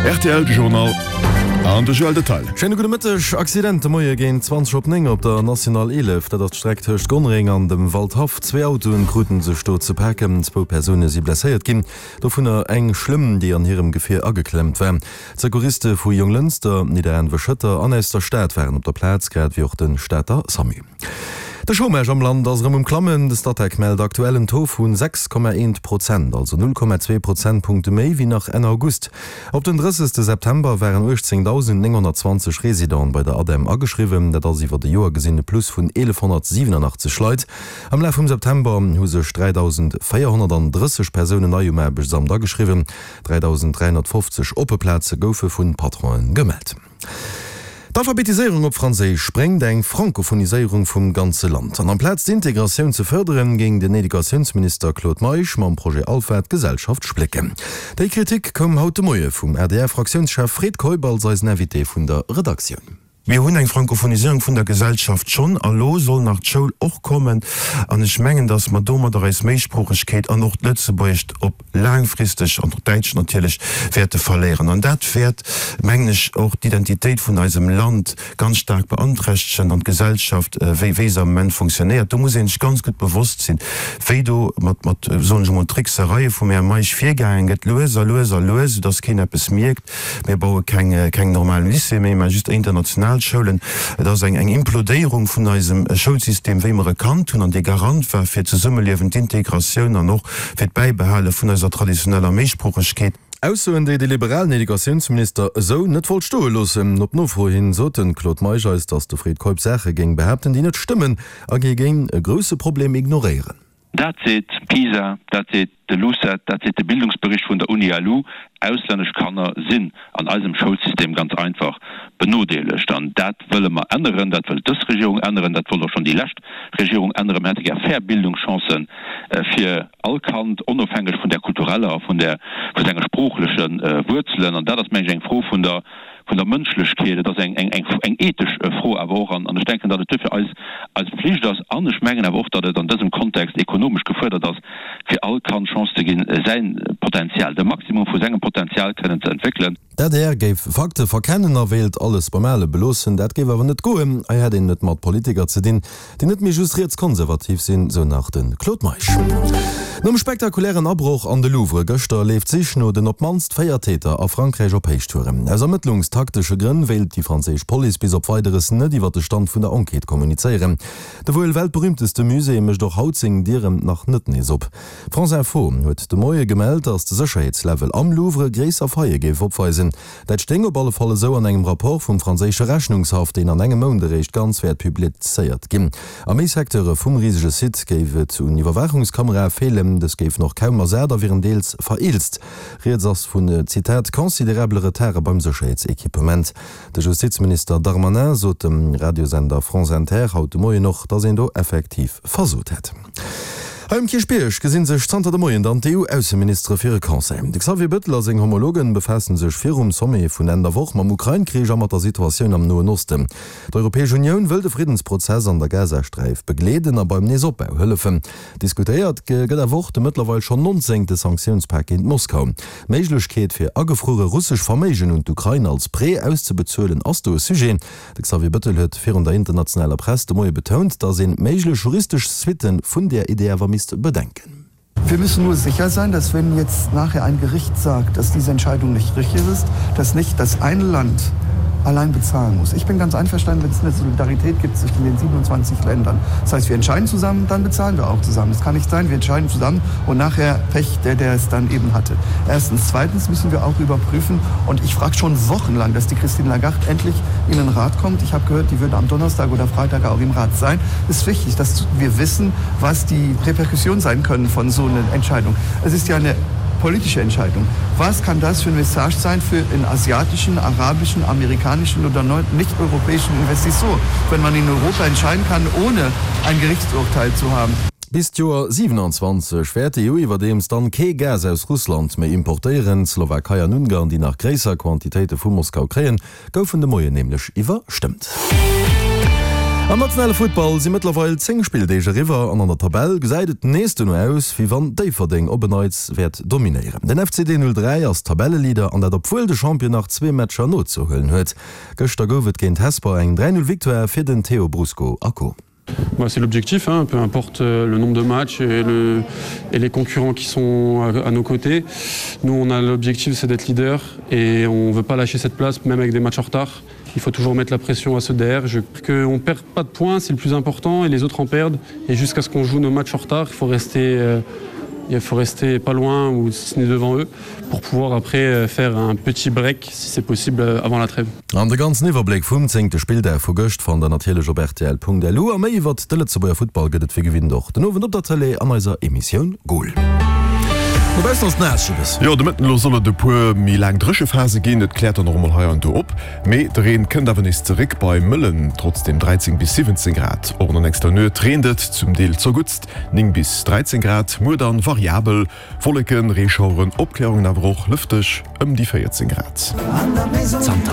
Rtl Journal an de Joël Detail. Schéine gudde Mëtteg. Accident de Moie géint 20 op 9 op der National 11. Dat ass d'Streck tëscht Gonnereng an dem Waldhaff. Zwee Autoen kruten sech do ze paken. Zwou Persoune si blesséiert ginn, dovunner eng schlëmm, déi an hirem Gefier ageklemmt war. D'Secouriste vu Jonglënster, Nidderaanwe-Schëtter an aus der Stad waren op der Plaz, grad ewéi och de Stater Samu. De Chômage am Land ass erëm um Klammen. De Statec mellt aktuell en Taux vu 6,1 Prozent, also 0,2 Prozentpunkte méi wéi nach Enn August. Op den 30 September waren 18.920 Residenten bei der ADEM ageschriwwen. Dat ass iwwer e Joer gesinn e Plus vun 1.187 Leit. Am Laf vum September hu sech 3.430 Persounen nei um Aarbechtsamt ageschriwwen. 3.350 oppe Plaze goufe vu Patronen gemellt. D'Alphabetiséierung op Franséisch bréngt eng Frankophoniséierung vum ganze Land. An amplaz d'Integratioun ze fërderen, géing den Educatiounsminister Claude Meisch mam Projet Alpha d'Gesellschaft splécken. Déi Kritik koum haut de Moie vum ADR-Fraktiounschef Fred Keup als eisen Invité vun der Redaktioun. Mir hunn eng Frankophoniséierung vun der Gesellschaft schonn, a lo soll nach d'Schoul och kommen. An ech mengen, datt mer domadder eis Méisproochegkeet an och d'Lëtzebuergescht op laangfristeg, an och d'Däitscht natierlech, wäerte verléieren. An dat wäert, mengen ech, och d'Identitéit vun eisem Land ganz staark beanträchtegen an d'Gesellschaft, wéi wéi se am Moment fonctionnéiert. Do muss ee sech ganz gutt bewosst sinn, wéi do mat, mat, soen ech emol, Tricksereie vum Här Meisch virgaange gëtt, lues a lues a lues, soudass keen eppes mierkt. Mir baue keng, keng normal Lycéeë méi, mä just international Schoulen. Et ass eng, eng Implodéierung vun eisem Schoulsystem, wéi mer e kannt hunn an dee Garant war fir d'Zesummeliewen, d'Integratioun an och fir d'Bäibehale vun eiser traditioneller Méisproochegkeet. Aussoen, déi de liberalen Educatiounsminister esou net wollt stoe loossen. Op Nofro hin sot de Claude Meisch eis, datt de Fred Keup Saache géing behaapten, déi net stëmmen a géi géing e grousse Problem ignoréieren. Dat seet PISA, dat seet de LUCET, dat seet de Bildungsbericht vun der Uni-LU, Auslännesch Kanner sinn an eisem Schoulsystem ganz einfach benodeelegt. An dat wëlle mer änneren, dat wëllt dës Regierung änneren, dat wollt och schonn déi lescht Regierung änneren. Mir hätte gär fair Bildungschancen fir all Kand, onofhängeg vun där kultureller a vun där, vu senge sproochleche Wuerzelen. An dat ass, meng ech, eng Fro vun der, vun der Mënschlechkeet. Et ass eng, eng, eng ethesch Fro awer och. An ech denken, datt et duerfir eis, eis Pflicht ass, an ech mengen awer och, datt et an dësem Kontext ekonomesch gefuerdert ass, fir all Kand d'Chance ze ginn, säin Potenzial, de Maximum vu sengem Potenzial kënnen ze entwéckelen. D'adr géif Fakte verkennen a wéilt alles beim Ale beloossen. Dat géif awer net goen. Hei hätt een et mat Politiker ze dinn, déi net méi just rietskonservativ sinn, sou nach de Claude Meisch. Nom spektakulären Abroch an de Louvre gëschter leeft d'Sich no den op d'mannst 4 Täter a Frankräich op Héichtouren. Aus ermëttlungstaktesche Grënn wéilt déi franséisch Police bis op Weideres net iwwer de Stand vun der Enquête kommunizéieren. De wuel weltberüümteste Musée mécht och haut seng Dieren nach net nees op. France Info huet de Moie gemellt, datt de Sécherheetslevel am Louvre gréisser Faille géif opweisen. Dat stéing op alle Fall esou an engem Rapport vum franséische Rechnungshaff, deen an engem Mount eréischt ganz wäert publizéiert ginn. A méi Secteure vum risege Site géif et un Iwwerwaachungskamerae feelen. Dës géifen och kaum ersat a wieren deels vereelzt. Rieds ass vun, Zitat, considerabele Retarde beim Sécherheetsequipement. De Justizminister Darmanin sot dem Radiosender France Inter haut de Moien och, datt een do effektiv versot hätt. Hei um Kierchbierg gesi sech zanter de Moien dann d'EU-Ausseministere fir e Conseil. De Xavier Bettel a seng Homologen befaasse sech virum Sommet vun Enn der Woch mam Ukrain-Krich a mat der Situatioun am Noen Osten. D'Europäesch Unioun wëll de Friddensprozess an der Gazasträif begleeden a beim Neesopbau hëllefen. Diskutéiert gëtt awer och de mëttlerweil schonn nonzéngte Sanktiounspak géint Moskau. D'Méiglechkeet fir agefruere russesch Verméigen un d'Ukrain als Prêt auszebezuelen ass do e Sujet. De Xavier Bettel huet virun der internationaler Press de Moie betount, datt een méiglech juristesch Suitte vun där Idee awer misst bedenken. Wir müssen nur sicher sein, dass wenn jetzt nachher ein Gericht sagt, dass diese Entscheidung nicht richtig ist, dass nicht das eine Land allein bezahlen muss. Ich bin ganz einverstanden, wenn es eine Solidarität gibt zwischen den 27 Ländern. Das heißt, wir entscheiden zusammen, dann bezahlen wir auch zusammen. Es kann nicht sein, wir entscheiden zusammen und nachher Pech, der, der es dann eben hatte. Erstens. Zweitens müssen wir auch überprüfen, und ich frage schon wochenlang, dass die Christine Lagarde endlich in den Rat kommt. Ich habe gehört, die würde am Donnerstag oder Freitag auch im Rat sein. Es ist wichtig, dass wir wissen, was die Reperkussionen sein können von so einer Entscheidung. Es ist ja eine politische Entscheidung. Was kann das für ein Message sein für den asiatischen, arabischen, amerikanischen oder nicht-europäischen Investition, wenn man in Europa entscheiden kann, ohne ein Gerichtsurteil zu haben? Bis d'Joer 27 wäert d'EU iwwerdeems dann kee Gas aus Russland méi importéieren. D'Slowakei an Ungarn, déi nach gréisser Quantitéite vu Moskau kréien, goufen de Moien nämlech iwwerstëmmt. Am nationale Futtball si mëttlerweil 10 Spilldeeg eriwwer an an der Tabell gesäit et nees dono aus, wéi wann Déifferdeng op en Neits wäert dominéieren. Den FCD 03 ass Tabelleleader an dat obwuel de Champion nach zwee Matcher nozehuelen huet. Gëschter gouf et géint Hesper eng 3, 0 Victoire fir den Théo Brusco a Co. Bah, c'est l'objectif hein, peu importe euh, le nombre de matchs et, le, et les concurrents qui sont à, à nos côtés. Nous on a l'objectif c'est d'être leader et on veut pas lâcher cette place même avec des matchs en retard. Il faut toujours mettre la pression à ce DR. Je qu'on perd pas de points, c'est le plus important et les autres en perdent et jusqu'à ce qu'on joue nos matchs en retard, il faut rester euh, il faut rester pas loin ou si ce n'est devant eux pour pouvoir après euh, faire un petit break si c'est possible euh, avant la trêve. An de ganzen Iwwerbléck vum zéngte Spilldag vu gëscht fannt der natierlech op rtl.lu. A méi iwwert de Lëtzebuerger Futtball gëtt et wéi gewinnt och den Owend op der Tëlee an eiser Emissioun Goal. Dobaussen ass et naass, Jibbes. Jo, de Mëtten elo soll et e puer méi laang Dréchephase ginn. Et kläert dann och emol hei an do op, mee de Reen kënnt awer nees zeréck. Bei mëllen trotzdeem 13 bis 17 Grad. Och an der nächster Nuet reent et zum Deel zerguttst, 9 bis 13 Grad. Muer dann variabel, Wolleken, Reeschaueren, Opklärungen awer och lëfteg, ëm déi 14 Grad. Zanter.